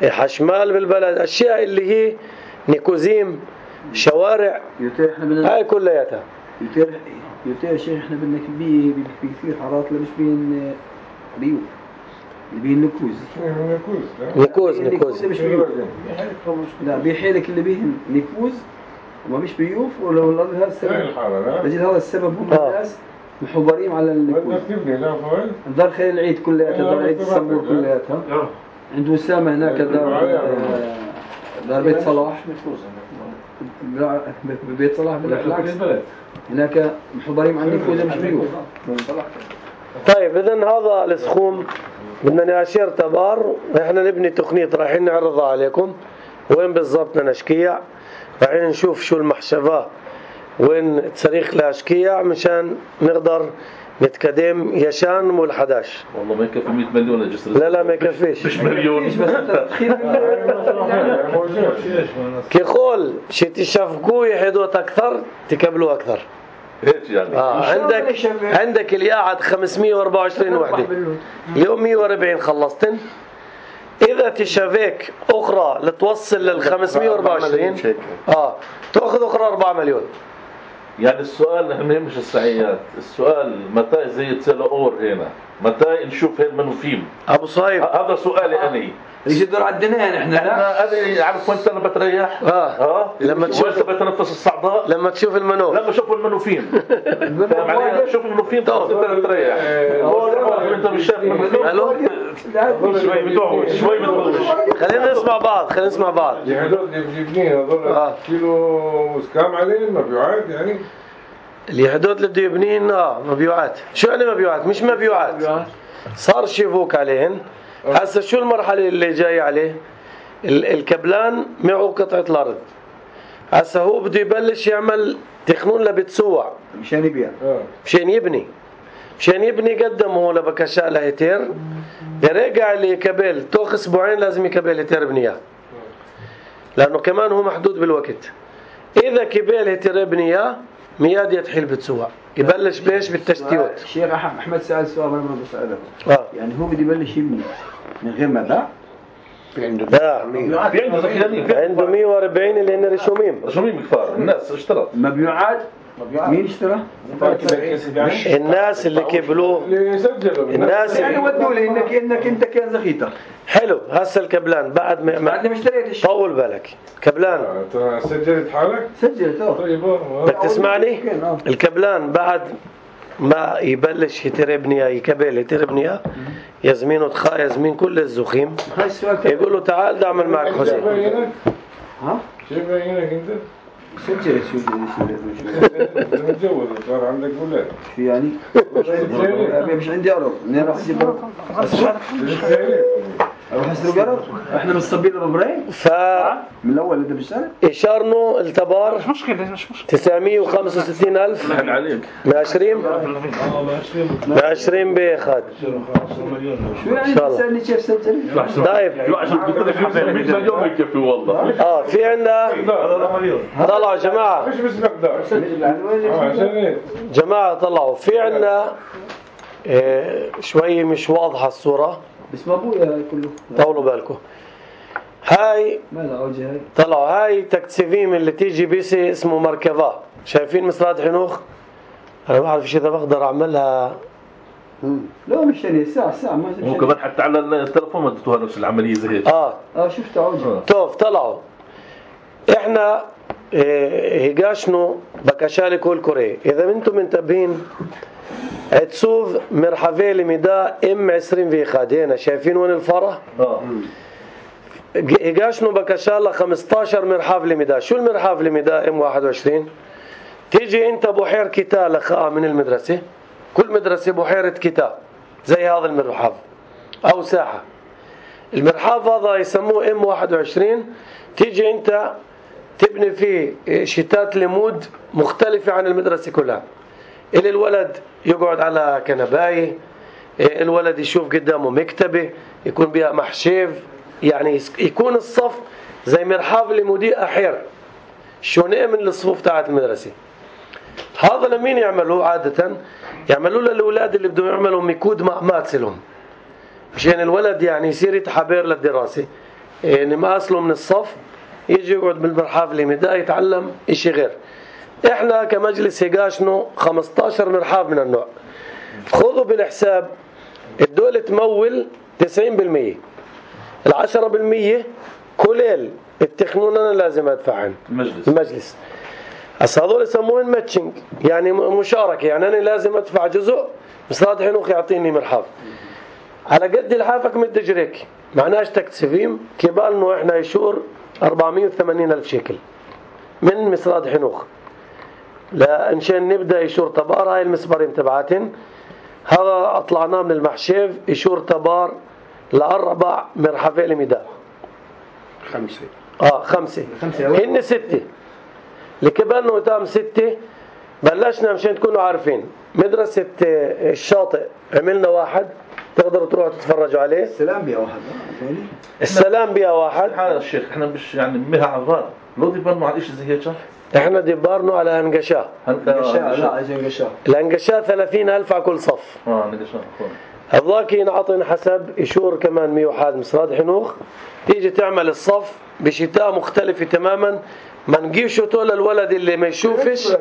حشمال بالبلد، اشياء اللي هي نيكوزيم شوارع هاي كلياتها. يتر يتر شيخ احنا بدنا بي في في حارات اللي مش بين بيوف اللي بين نكوز نكوز نكوز مش بيوف. لا بيحيلك اللي بيهم نكوز وما مش بيوف، ولو هذا السبب بجد هذا السبب هم الناس محورين على النكوز. دار خير العيد كلياتها، دار عيد السمور كلياتها عنده وسامة هناك، دار دار بيت صلاح بيت صلاح بالعكس هناك محضرين عن نكوز مش بيوف. طيب إذن هذا السخوم بدنا نأشير تبار. احنا نبني تقنية رايحين نعرضها عليكم وين بالضبط نشكيع، رايحين نشوف شو المحشفة وين تصريخ لأشكيع مشان نقدر نتقدم يشان مول حداش. والله ما يكفي مية مليون الجسر. لا لا ما يكفيش مش مليون. كيقول شي تشافقوا يحدوت أكثر تكبلوا أكثر. هيك يعني. آه عندك عندك اللي قاعد خمسمية وأربعة وعشرين وحدة اليوم مية وأربعين خلصتن. إذا تشافيك أخرى لتوصل لل خمسمية وأربعة وعشرين آه تأخذ أخرى أربعة مليون. يعني السؤال نحن مش السعيات، السؤال متى زي تسلقور هنا، متى نشوف هالمنوفيم أبو صهيب. هذا سؤالي أنا. ليش الدور عندنا نحن؟ احنا هذه عارف وين انا بتريح؟ اه, آه. لما تشوف بتنفس الصعداء، لما تشوف المنوف، لما اشوف المنوفيم فاهم علي؟ شوف المنوفيم انت بتريح. انت مش شايف المنوفيم؟ شوي بدوش شوي بدوش. خلينا نسمع بعض خلينا نسمع بعض. هذول اللي هذول كيلو كام عليه مبيوعات يعني؟ اللي حدود اللي بده يبنين اه مبيوعات. شو يعني مبيوعات؟ مش مبيوعات، صار شيفوك عليهن. هسه شو المرحلة اللي جاي عليه؟ الكبلان معه قطعة الأرض. هسه هو بده يبلش يعمل تخنون لبتسوع مشان يبيع، مشان يبني مشان يبني قدمه لبكشاء لهيتير. يرجع اللي يكبل توخ اسبوعين لازم يكبل هيتير بنياه، لأنه كمان هو محدود بالوقت. إذا كبل هيتير بنياه مياد يتحيل بتسوع يبلش بيش بالتشتيوت. الشيخ أحمد سأل سؤال أنا بدي أسأله. آه. يعني هو بده يبلش يبني من غير ما باع؟ في عنده في عنده زخيانين، عنده مية وأربعين اللي هن رشومين رشومين كفار. الناس اشترت مبيوعات. مين اشترى؟ الناس اللي كبلوه اللي سجلوا الناس يعني ودوا لي انك انك انت كان زخيتك. حلو. هسه الكبلان بعد ما بعد ما اشتريت الشيء طول بالك كبلان سجلت حالك؟ سجلت اه. طيب بدك تسمعني؟ الكبلان بعد ما يبلش يتربني يكبل يتربني يزمين وتخا يزمين كل الزخيم يقول له تعال دعمل معك حسين. ها؟ شو بعينك انت؟ سجلت شو انت متجوز صار عندك ولاد. شو يعني؟ مش عندي أرض، منين راح أجيب أرض؟ أروح أشتري أرض؟ إحنا مصطبين ببراهيم؟ ف من الأول أنت بالشارع؟ إشارنو التبار مش مشكلة مش مشكلة تسعمية وخمسة وستين ألف معشرين معشرين بيخد شو يعني تسألني كيف سجل؟ طيب يوم يكفي والله. اه في عندنا طلعوا جماعة مش بس مقدار عشان جماعة طلعوا في عندنا إيه شوي مش واضحة الصورة بس ما أبويا كله طولوا بالكم. هاي ما لا عوجة هاي طلعوا هاي تكتسيفيم اللي تيجي بيسي اسمه مركبة. شايفين مصرات حنوخ؟ أنا ما بعرف إذا بقدر أعملها. لا مش يعني ساعة ساعة ما هو كمان حتى على التلفون ما اديتوها نفس العملية زي هيك. آه اه شفت عوجة توف طلعوا إحنا إيه هيجاشنو بكشالي كل كوري. إذا أنتم منتبهين عتسوف مرحبا لمدا ام عشرين في واحد هنا شايفين وين الفرع؟ اه إجاشنو بكشالة خمستاشر مرحاف لمدا. شو المرحاف لمدا ام واحد وعشرين؟ تيجي انت بحير كتاب لخاء من المدرسة، كل مدرسة بحيرة كتاب زي هذا المرحاف او ساحة. المرحاف هذا يسموه ام واحد وعشرين. تيجي انت تبني فيه شتات لمود مختلفة عن المدرسة كلها. اللي الولد يقعد على كنباية، الولد يشوف قدامه مكتبة يكون بها محشيف، يعني يكون الصف زي مرحاف لمدير أحير شونئ من الصفوف تاعت المدرسة. هذا لمين يعملوه عادة؟ يعملوه للأولاد اللي بدهم يعملوا ميكود مع ماتسلهم مشان الولد يعني يصير يتحبر للدراسة، يعني ما أصله من الصف يجي يقعد بالمرحاف لمدا يتعلم إشي غير. إحنا كمجلس هيجاشنو خمستاشر مرحاف من النوع. خذوا بالحساب الدولة تمول تسعين بالمية، العشرة بالمية كليل التخنون أنا لازم أدفعهن المجلس المجلس. هسا هذول يسموهن ماتشنج يعني مشاركة، يعني أنا لازم أدفع جزء مصاد حنوخ يعطيني مرحاف على قد الحافك متجريك معناش تكتسفيم كبالنو إحنا يشور أربعمية وثمانين ألف شيكل من مصاد حنوخ. لا إنشان نبدأ يشور تبار هاي المسبرين تبعاتن. هذا أطلعناه من المحشيف يشور تبار لأربع مرحفة لمدا خمسة آه خمسة هن ستة لكبالنا تام ستة. بلشنا مشان تكونوا عارفين مدرسة الشاطئ عملنا واحد تقدروا تروحوا تتفرجوا عليه. السلام بيا واحد السلام بيا واحد. هذا الشيخ احنا مش يعني مها عبار لو دي بنوا على شيء زي هيك. احنا دبارنا على هنقشاه هنقشاه لا عايزين هنقشاه الهنقشاه ثلاثين ألف على كل صف. اه هنقشاه هذاك ينعطن حسب يشور كمان مية وواحد مصراد حنوخ. تيجي تعمل الصف بشتاء مختلفة تماما ما نجيشه طول الولد اللي ما يشوفش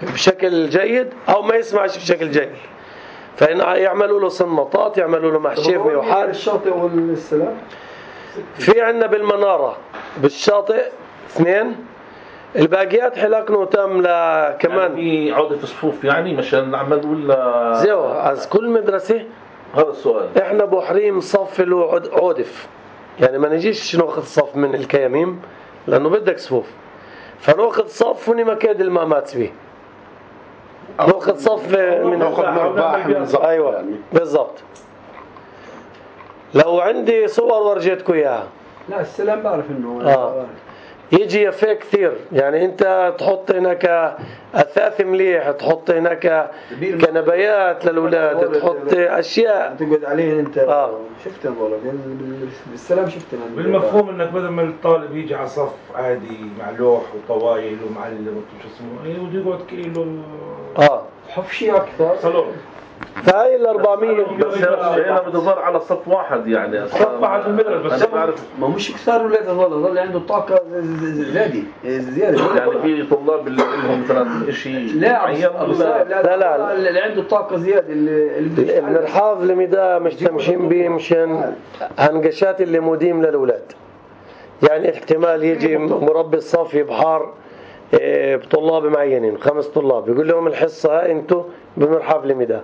بشكل جيد او ما يسمعش بشكل جيد فإن يعملوا له صنطات يعملوا له محشيف مية وواحد. الشاطئ والسلام في عندنا بالمنارة بالشاطئ اثنين الباقيات حلاكنا تام كمان يعني في عودة صفوف يعني مشان نعمل ولا زيو از كل مدرسة. هذا السؤال احنا بحريم صف له عودف يعني ما نجيش ناخذ صف من الكياميم لانه بدك صفوف فناخذ صف وني مكاد المامات به ناخذ صف من ايوه بالضبط. لو عندي صور ورجيتكم اياها. لا السلام بعرف انه آه. يجي يفيه كثير يعني انت تحط هناك اثاث مليح تحط هناك كنبيات للاولاد تحط اشياء تقعد عليهن انت. آه. شفت والله بالسلام شفت بالمفهوم انك بدل ما الطالب يجي على صف عادي مع لوح وطوايل ومعلم شو اسمه بده يقعد كيلو اه حفشي اكثر صالون. فهي ال أربعمية بس هنا بدور على صف واحد يعني صف واحد بالمدرسة بس انا بعرف ما مش كثار اولاد هذول ظل عنده طاقه زياده زياده يعني في طلاب اللي لهم مثلا شيء لا معين لا لا لا اللي عنده طاقه زياده اللي المرحاض المدا مشتمشين به مشان هنقشات اللي موديم للاولاد يعني احتمال يجي مربي الصف بحار بطلاب معينين خمس طلاب يقول لهم الحصه انتم بمرحاض لميدان.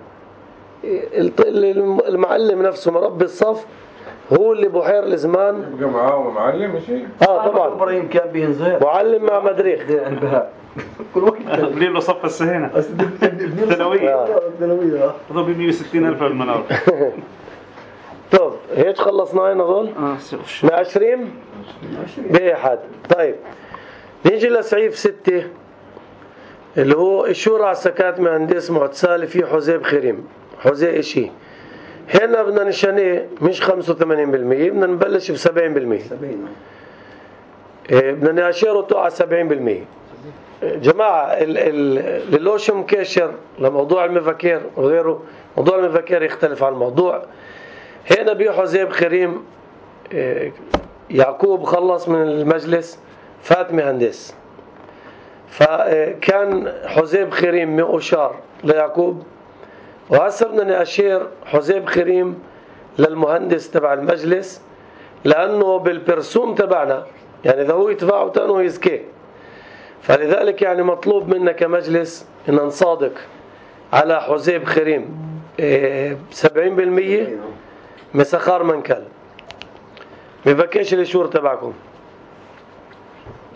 المعلم نفسه مربي الصف هو اللي بحير الزمان بقى معاه معلم شيء. اه طبعا ابراهيم كان بينزل معلم مع مدريخ البهاء كل وقت بني له صف السهينة ثانوية ثانوية هذول ب مية وستين ألف المنار. طب هيك خلصنا هذول اه من عشرين بأحد. طيب نيجي لسعيف ستة اللي هو الشورى على سكات مهندس معتسالي في حزيب خريم حزي إشي. هنا بدنا نشانيه مش خمسة وثمانين بالمية، بدنا نبلش بسبعين بالمية. إيه بدنا نأشيره على سبعين بالمية. جماعة اللوش مكشر لموضوع المفكير وغيره. موضوع المفكير يختلف عن الموضوع. هنا بيو حزيب خريم إيه يعقوب خلص من المجلس فات مهندس، فكان حزيب خريم مؤشار ليعقوب، وهسه بدنا نأشير حزيب خريم للمهندس تبع المجلس لأنه بالبرسوم تبعنا يعني إذا هو يدفعه تانو يزكيه. فلذلك يعني مطلوب منا كمجلس إن نصادق على حزيب خريم سبعين بالمية مسخار منكل. مبكيش الشور تبعكم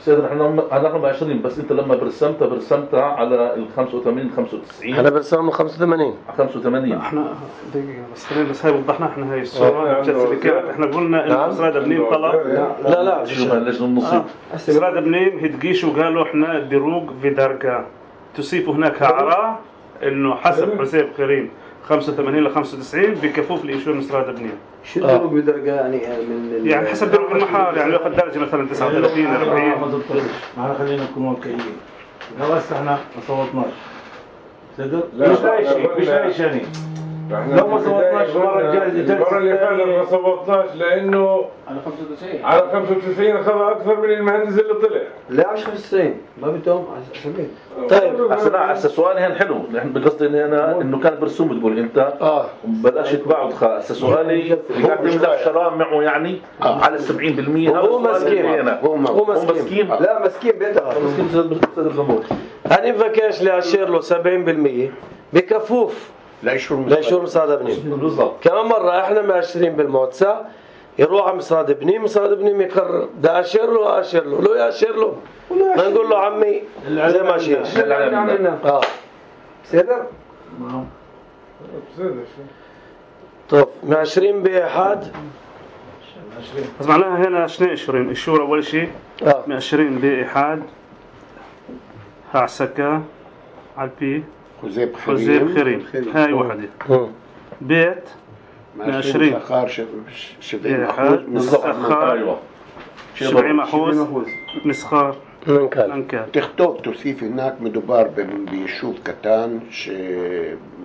سيدنا احنا نحن عشرين بس انت لما برسمتها برسمتها على ال خمسة وثمانين خمسة وتسعين. انا برسمها خمسة وثمانين خمسة وثمانين. احنا دقيقة بس خلينا بس هاي وضحنا احنا هاي الصورة اللي كانت احنا قلنا ان اسراد بنيم طلب لا لا شو اللجنة النصيب. اسراد بنيم هتقيشوا وقالوا احنا دروج في درجة تضيفوا هناك اعراء انه حسب حسيب خريم خمسة وثمانين ل خمسة وتسعين بكفوف لإيشور مسراد بنيم. شو الدروج بدرجة يعني من يعني حسب دروج المحار يعني ياخذ درجة مثلا تسعة وثلاثين أربعين. ما خلينا نكون واقعيين. لو هسه احنا ما صوتناش صدق مش لاقي شيء مش لاقي شيء. لو ما صوتناش المرة المرة اللي فاتت ما صوتناش لأنه على خمسة وتسعين على خمسة وتسعين أخذ أكثر من المهندس اللي طلع. لا مش خمسة وتسعين ما بدهم عشرين. طيب هسه لا هسه سؤالي هن حلو نحن بقصدي اني انا انه كان برسوم بتقول انت اه بلاش يتباعوا هسه سؤالي يقدم لك شرام معه يعني آه. على سبعين بالمية. هو مسكين هو مسكين لا مسكين بيتها مسكين استاذ الجمهور. أنا بفكرش لأشير له سبعين بالمية بكفوف لا يشور لا يشور مسراد بنيم. بالضبط. كمان مرة احنا ماشرين بالموتسع يروح على مسراد بنيم مسراد بنيم يقرر ده أشير له أشير له لو يأشير له ما نقول له عمي زي ما شيش اه سيدر طب ماشرين بأحد بس معناها هنا شنو عشرين الشورى أول شيء اه عشرين بإحاد هعسكا على البي حزيب حزيب خريم هاي وحدة بيت عشرين سخار شبعين بإحاد مسخار ايوه شبعين محوز مسخار منكال منكال تختوب توصيف هناك مدبار بيشوف كتان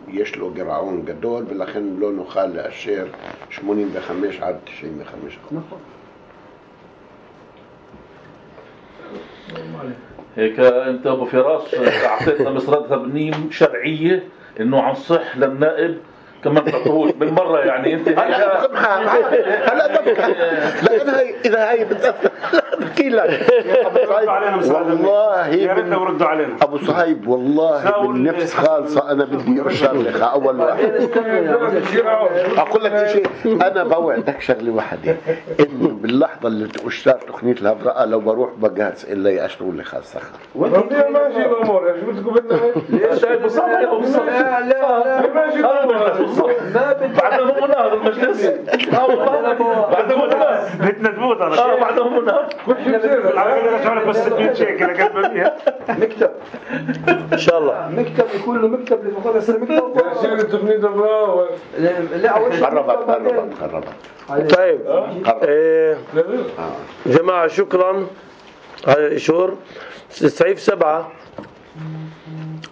يشلو قرعون قدول بلخن لونه خال لأشير ثمانين وخمسة عد تسعين وخمسة. هيك انت ابو فراس اعطيتنا مسردها بنيم شرعيه انه عن صح للنائب كمان تعطوهوش بالمره يعني انت هلا هلا ببكي لان هي اذا هي بتاثر بحكي لك والله يا ريت لو ردوا علينا ابو صهيب والله من نفس خالصه انا بدي اشارك اول واحد اقول لك شيء انا بوعدك شغله واحده انه باللحظه اللي اشتري تقنيه الهبراء لو بروح بقاس الا ياشروا لي خاص سخر ربي ماشي الامور ايش بدكم بدنا ليش شايف بصراحه لا لا ماشي الامور ما بدي بعدهم هنا هذا المجلس اه والله بعدهم هنا بدنا تموت انا اه بعدهم هنا كل شيء العقيده رجعوا لك بس ستين شيكل قد فيها مكتب ان شاء الله مكتب يكون له مكتب لفقط هسه مكتب عشان تقنيه الهبراء لا اول شيء قربت قربت قربت طيب ايه جماعة شكرا على الإشور. سعيف سبعة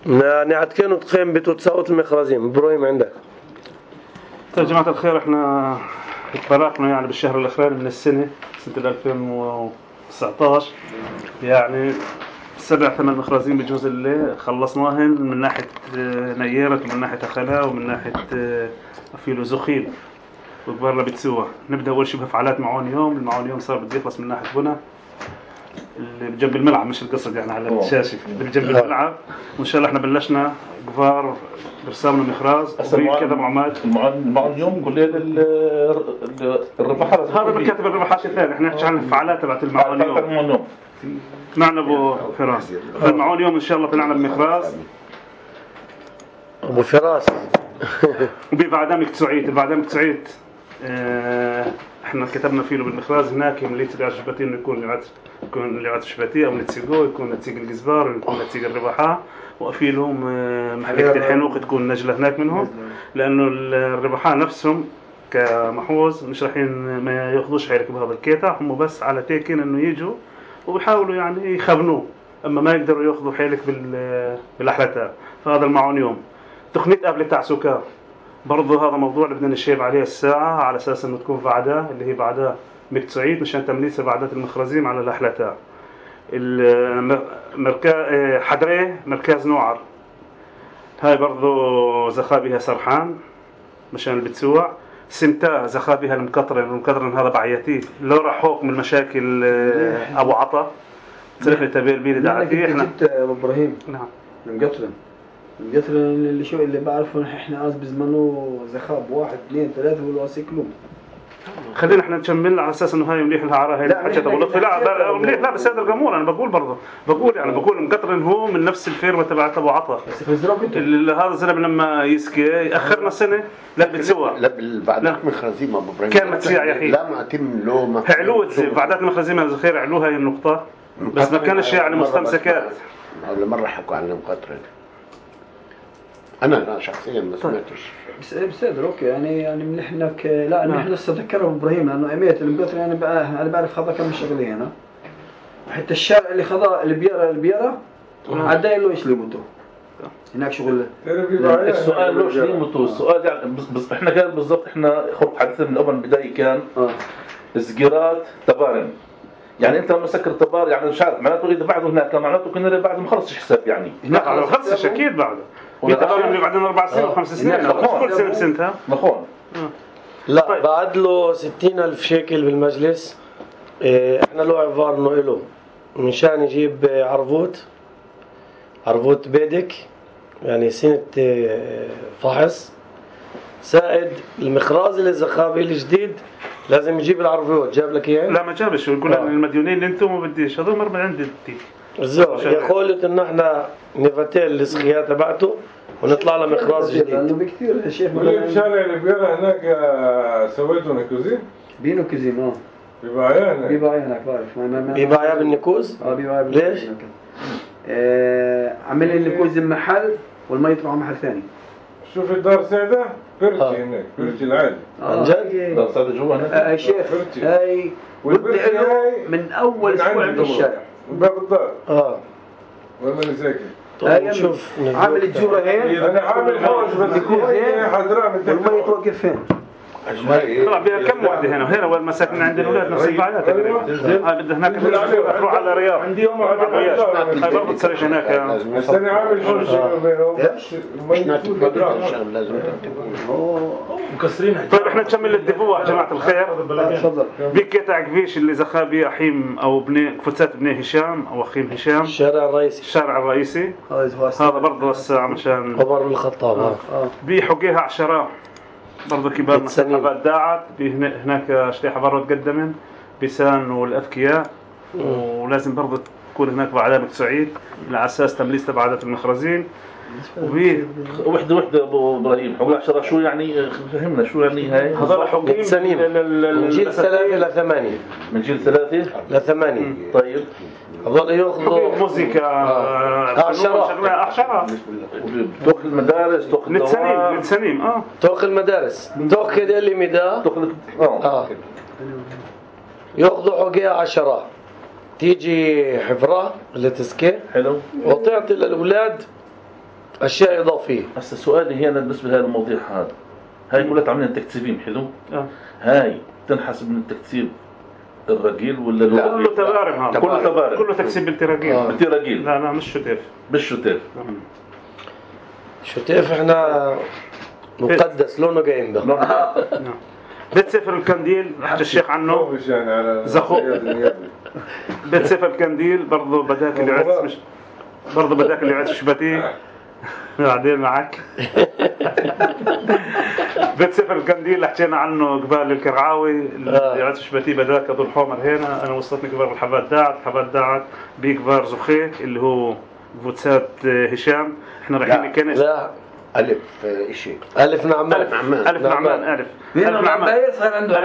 يعني عدكين وتخيم بتوتساوت المخرزين إبراهيم عندك. طيب جماعة الخير احنا اتفرقنا يعني بالشهر الأخراني من السنة سنة ألفين وتسعة عشر يعني سبع ثمان مخرزين بجوز اللي خلصناهن من ناحية نيرة ومن ناحية أخلاء ومن ناحية أفيلو زخيل وكبرنا بتسوى. نبدأ أول شيء بفعالات معون يوم. المعون يوم صار بده يخلص من ناحية بنا اللي بجنب الملعب، مش القصد يعني على الشاشه اللي بجنب الملعب. وان شاء الله احنا بلشنا كبار برسامنا مخراز وفي كذا معمد المعون اليوم كل الرباحات هذا بكاتب الرباحات الثاني. احنا نحكي عن الفعاليات تبعت المعون اليوم. معنا ابو فراس المعون اليوم ان شاء الله طلعنا بمخراز ابو فراس وببعدام كتسعيت. البعدام كتسعيت اه احنا كتبنا فيه بالمخراز هناك من ليت الشباتي انه يكون لعت يكون لعت الشباتيه او نتسيقو، يكون نتسيق الجزبار، يكون نتسيق الرباحه، وفي لهم اه محليه الحنوق تكون نجله هناك منهم، لانه الرباحه نفسهم كمحوز مش رايحين ما ياخذوش حيلك بهذا الكيتا، هم بس على تيكين انه يجوا وبيحاولوا يعني يخبنوه، اما ما يقدروا ياخذوا حيلك بالاحلتها. فهذا المعون يوم تقنيه قبل تاع سكر برضه هذا موضوع اللي بدنا نشيب عليه الساعه على اساس انه تكون بعدها اللي هي بعدها مكتسعيت مشان تمليس بعدات المخرزين على الاحلتها. المركز حدريه مركز نوعر هاي برضه زخابيها سرحان مشان البتسوع. سمتا زخابيها المكطرن، المكطرن هذا بعياتي لو راح فوق من مشاكل ابو عطا تركني تبيل بيدي دعتي. احنا جبت ابو ابراهيم نعم المقطرن المقطرن اللي شو اللي بعرفه احنا از بزمنه زخاب واحد اثنين ثلاثه والواسكلوم. خلينا احنا نكمل على اساس انه هاي مليح لها عراها هي حاجه ابو لطفي. لا مليح لا بس هذا القمور انا بقول برضه بقول يعني بقول المقطرن هو من نفس الفيرما تبعت ابو عطا. هذا الزلمه لما يسكي ياخرنا سنه لا بتسوى لا بعدات مخرزيم ابو ابراهيم كان متسيع يا اخي لا ما تم له ما علوه بعدات المخرزيم الزخير علوها هي النقطه بس ما كانش يعني مستمسكات. ولا مره حكوا عن المقطرن انا لا شخصيا ما سمعتش. بس بصدر اوكي يعني يعني مليح انك لا نحن لسه ذكروا ابراهيم لانه اميت المقطرن يعني بقى انا بعرف خذا كم شغله هنا حتى الشارع اللي خذا البيره البيره عدى له ايش ليمته هناك شغل. السؤال ليش ليمته السؤال يعني بس احنا كان بالضبط احنا حديثنا من اول بدايه كان اه سجيرات تبارن يعني انت لما سكر تبار يعني مش عارف معناته اذا بعده هناك معناته كنا بعد ما خلصش حساب يعني هناك ما خلصش اكيد بعده بيتبارن اللي بعدين اربع سنين وخمس سنين كل سنه بسنتها مخون. لا طيب. بعد له ستين ألف شيكل بالمجلس. اه احنا له عبار انه له مشان يجيب عربوت عربوت بيدك يعني سنة فحص سائد المخراز اللي الزخابي الجديد لازم يجيب العربوت. جاب لك اياه؟ لا ما جابش يقول آه. المديونين اللي انتم ما بديش هذول مر من عندي الزو يقول انه احنا نفتل السخيات تبعته ونطلع له مخراز جديد لانه بكثير يا شيخ الشارع اللي بيرى هناك سويته نكوزين بينو كوزين اه بيبايع هناك بيبايع هناك بعرف بيبايع بالنكوز اه بيبايع ليش؟ آه عمل النكوز محل والما يطلعوا محل ثاني. شوف الدار سعده برتي آه. هناك برتي العادي عن جد دار سعده جوا هناك يا شيخ هاي والبرتي من اول اسبوع في الشارع من باب الدار اه وين ماني ساكن. طيب شوف عامل الجوره هين انا عامل حوش بس هي حضراء من والما يتوقف فين طلع بها كم وحده هنا وهنا وين مساكن عند الاولاد نفس الفعاليات تقريبا. هاي بدها هناك تروح على الرياض عندي يوم هاي برضه تصير هناك بس انا عامل حوش بينهم لازم مكسرين. طيب احنا نكمل الدفوع يا جماعه الخير. تفضل. بقطع كبيش اللي زخابي احيم او بني فتات بني هشام او اخيم هشام الشارع الرئيسي الشارع الرئيسي هذا برضه الساعه مشان عمر بن الخطاب اه بيحقيها عشرة برضه كبار مسحبات داعت هناك شريحه برضه تقدمن بيسان والاذكياء ولازم برضه تكون هناك بعدها سعيد على اساس تمليس تبعات المخرزين وبي وحده وحده ابو ابراهيم حقوق عشرة شو يعني فهمنا شو يعني هاي هذول حقوقين سنين من جيل ثلاثة إلى ثمانية من جيل ثلاثة لثمانية. طيب هذول ياخذوا موسيقى عشرة عشرة توخ المدارس توخ الدوام نتسنيم اه توخ المدارس توخ كده اللي مدا توخ اه ياخذوا حقوقها عشرة تيجي حفرة اللي تسكي حلو وتعطي للأولاد أشياء إضافية. هسه سؤالي هنا بالنسبة لهذا الموضوع هذا هاي كلها عاملين تكتيبين حلو آه. هاي تنحسب من التكتيب الرجيل ولا لا كله تبارم هذا كله تبارم كله تكسيب بالتراجيل آه. بالتراجيل لا لا مش شتيف بالشتيف آه. شتيف احنا مقدس لونه جايين ده بيت سفر الكنديل حكى الشيخ عنه زخو. بيت سفر الكنديل برضه بداك اللي عدس مش برضه بداك اللي عدس شبتي بعدين معك. بيت سفر الكنديل اللي حكينا عنه قبال الكرعاوي اللي عدس شبتي بداك ابو الحمر هنا. انا وصلتني قبال الحبات داعت حبات داعت بيكبر زخيك اللي هو فوتسات هشام. احنا رايحين الكنيس. لا ألف إشي ألف نعمان ألف نعمان ألف نعمان ألف ألف نعمان صار عنده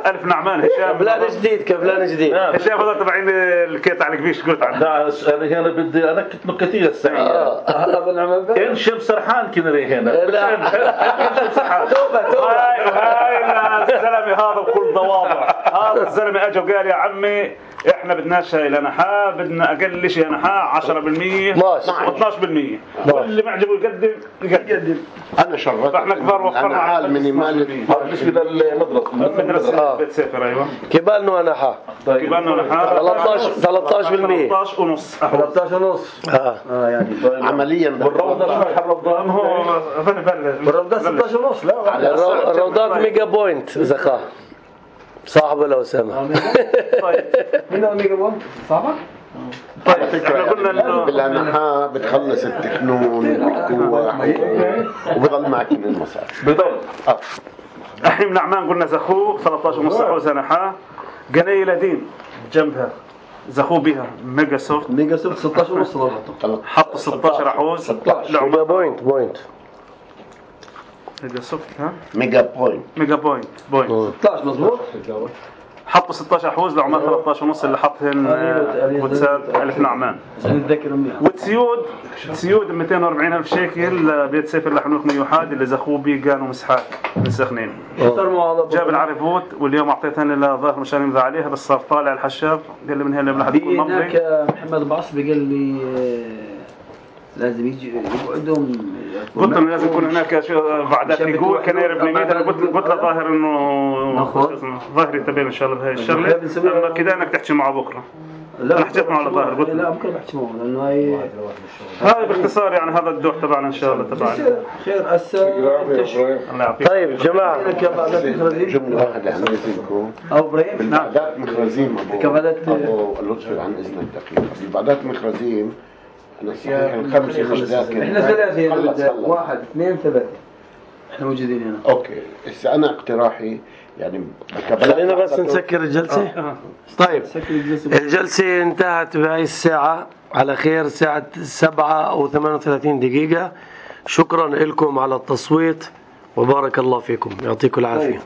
ألف نعمان هشام كبلان جديد كبلان جديد. هشام هذا تبعين الكيت على الكبيش قلت عنه. انا هنا بدي انكت نكتيه السعيده. هذا نعمان انشب سرحان كنا هنا. لا انشب سرحان. توبة توبة. هاي هاي الزلمه هذا بكل ضواضع. هذا الزلمه اجى وقال يا عمي احنا بدناش هاي لنحاء بدنا اقل شيء لنحاء عشرة بالمية واثناشر بالمية واللي معجبه يقدم يقدم. انا شرفت فاحنا كبار وفرنا على المينيمال بالنسبه للمدرسه مدرسه بيت سفر. ايوه كبالنا ونحا كبالنا ونحا ثلاثة عشر بالمية ثلاثة عشر ونص ثلاثة عشر ونص. اه اه يعني عمليا والروضه الروضه هو والروضه ستة عشر ونص. لا الروضات ميجا بوينت زخا صاحبه لو سمع. طيب مين هو ميجا بوينت صاحبك؟ طيب احنا قلنا انه بالأنحاء بتخلص التكنون والكوع وبضل معك من المصاري بضل. احنا من عمان قلنا زخو ثلاثة عشر ونص حوزه نحا. قنايه لدين جنبها زخو بها ميجا سوفت. ميجا سوفت ستة عشر ونص حطوا ستة عشر حوز ميجا بوينت بوينت ميجا سوفت. ها ميجا بوينت ميجا بوينت بوينت ستة عشر مظبوط. حطوا ستة عشر حوز لعمال ثلاثة عشر ونص اللي حطهن وتساب ألف نعمان. نتذكر منيح. وتسيود تسيود مئتين وأربعين ألف شيكل بيت سفر لحنوك ميوحاد اللي زخوه بيه كانوا مسحات من سخنين. جاب العرفوت واليوم اعطيتهن لظاهر مشان يمضي عليها بس صار طالع الحشاب قال لي من هنا من حد يكون ممضي. هناك محمد بعصبي قال لي لازم يجي يقعدهم. قلت له لازم يكون هناك بعدات يقول كان يرب لي قلت قلت له ظاهر انه ظاهر يتبين ان شاء الله بهاي الشغله. اما كده انك تحكي معه بكره. انا حكيت معه على ظاهر قلت لا بكره بحكي معه لانه هاي هاي باختصار يعني هذا الدور تبعنا ان شاء الله تبعنا. خير هسه الله يعطيك. طيب جماعه جمله واحده عن اذنكم. او ابراهيم بالبعدات مخرزين ابو لطفي عن اذنك دقيقه. بالبعدات مخرزين انا صحيح الخمسه مش ذاكر. احنا ثلاثه واحد اثنين ثلاثه احنا موجودين هنا. اوكي هسه انا اقتراحي يعني خلينا بس نسكر الجلسه. طيب الجلسه انتهت بهاي الساعه على خير الساعه سبعة او ثمانية وثلاثين دقيقه. شكرا لكم على التصويت وبارك الله فيكم يعطيكم العافيه.